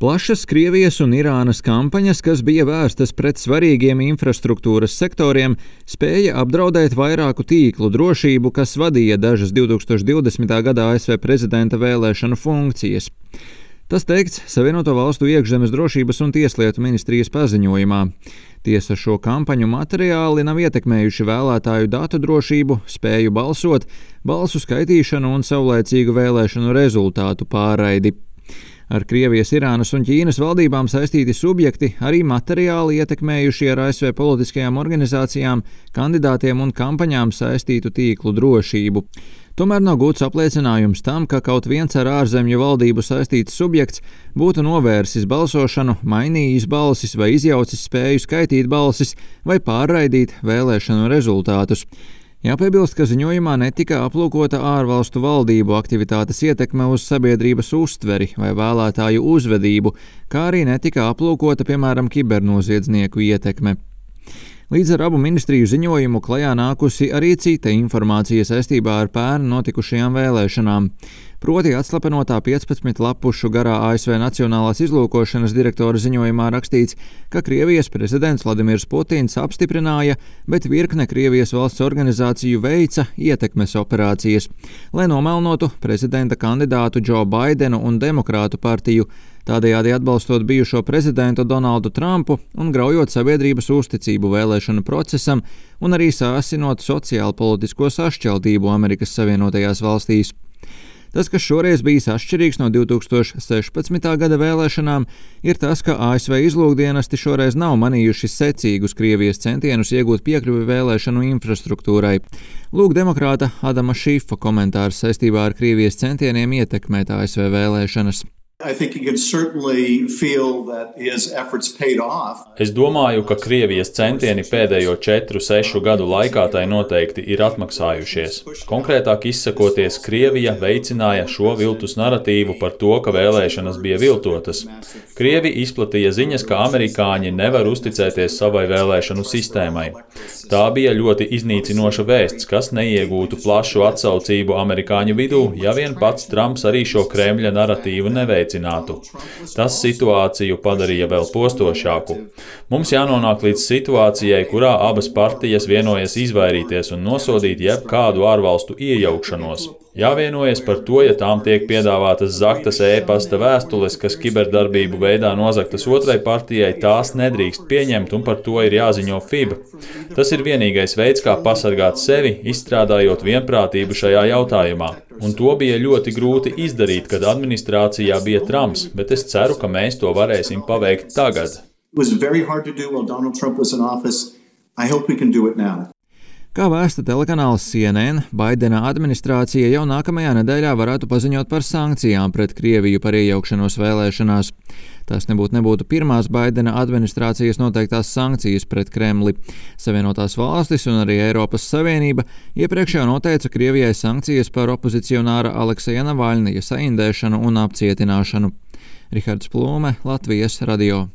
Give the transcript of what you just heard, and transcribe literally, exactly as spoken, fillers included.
Plašas Krievijas un Irānas kampaņas, kas bija vērstas pret svarīgiem infrastruktūras sektoriem, spēja apdraudēt vairāku tīklu drošību, kas vadīja dažas divi tūkstoši divdesmitā gada A S V prezidenta vēlēšanu funkcijas. Tas teikts Savienoto Valstu iekšzemes drošības un tieslietu ministrijas paziņojumā. Tiesa, šo kampaņu materiāli nav ietekmējuši vēlētāju datu drošību, spēju balsot, balsu skaitīšanu un saulēcīgu vēlēšanu rezultātu pārraidi. Ar Krievijas, Irānas un Ķīnas valdībām saistīti subjekti arī materiāli ietekmējuši ar A S V politiskajām organizācijām, kandidātiem un kampaņām saistītu tīklu drošību. Tomēr nav gūts apliecinājums tam, ka kaut viens ar ārzemju valdību saistīts subjekts būtu novērsis balsošanu, mainījis balsis vai izjaucis spēju skaitīt balsis vai pārraidīt vēlēšanu rezultātus. Jāpiebilst, ka ziņojumā netika aplūkota ārvalstu valdību aktivitātes ietekme uz sabiedrības uztveri vai vēlētāju uzvedību, kā arī netika aplūkota, piemēram, kibernoziedznieku ietekme. Līdz ar abu ministriju ziņojumu klajā nākusi arī cita informācija saistībā ar pērn notikušajām vēlēšanām. Proti atslapenotā piecpadsmit lapušu garā A S V Nacionālās izlūkošanas direktora ziņojumā rakstīts, ka Krievijas prezidents Vladimirs Putins apstiprināja, bet virkne Krievijas valsts organizāciju veica ietekmes operācijas, lai nomelnotu prezidenta kandidātu Džo Baidenu un Demokrātu partiju, tādējādi atbalstot bijušo prezidentu Donaldu Trumpu un graujot sabiedrības uzticību vēlēšanu procesam un arī sāsinot sociālpolitisko sašķeltību Amerikas Savienotajās valstīs. Tas, kas šoreiz bijis atšķirīgs no divi tūkstoši sešpadsmitā gada vēlēšanām, ir tas, ka A S V izlūkdienesti šoreiz nav manījuši secīgus Krievijas centienus iegūt piekļuvi vēlēšanu infrastruktūrai. Lūk demokrāta Adama Šīfa komentārs saistībā ar Krievijas centieniem ietekmēt A S V vēlēšanas. Es domāju, ka Krievijas centieni pēdējo četru, sešu gadu laikā tai noteikti ir atmaksājušies. Konkrētāk izsakoties, Krievija veicināja šo viltus naratīvu par to, ka vēlēšanas bija viltotas. Krievi izplatīja ziņas, ka amerikāņi nevar uzticēties savai vēlēšanu sistēmai. Tā bija ļoti iznīcinoša vēsts, kas neiegūtu plašu atsaucību amerikāņu vidū, ja vien pats Trumps arī šo Kremļa naratīvu neveic. Tas situāciju padarīja vēl postošāku. Mums jānonāk līdz situācijai, kurā abas partijas vienojas izvairīties un nosodīt jebkādu ārvalstu iejaukšanos. Jāvienojas par to, ja tām tiek piedāvātas zaktas e-pasta vēstules, kas kiberdarbību veidā nozaktas otrai partijai, tās nedrīkst pieņemt un par to ir jāziņo F I B. Tas ir vienīgais veids, kā pasargāt sevi, izstrādājot vienprātību šajā jautājumā. Un to bija ļoti grūti izdarīt, kad administrācijā bija Trumps, bet es ceru, ka mēs to varēsim paveikt tagad. Kā vēsta telekanāls C N N, Baidena administrācija jau nākamajā nedēļā varētu paziņot par sankcijām pret Krieviju par iejaukšanos vēlēšanās. Tas nebūtu nebūtu pirmās Baidena administrācijas noteiktās sankcijas pret Kremli. Savienotās valstis un arī Eiropas Savienība iepriekš jau noteica Krievijai sankcijas par opozicionāra Alekseja Navaļnija saindēšanu un apcietināšanu. Rihards Plūme, Latvijas radio.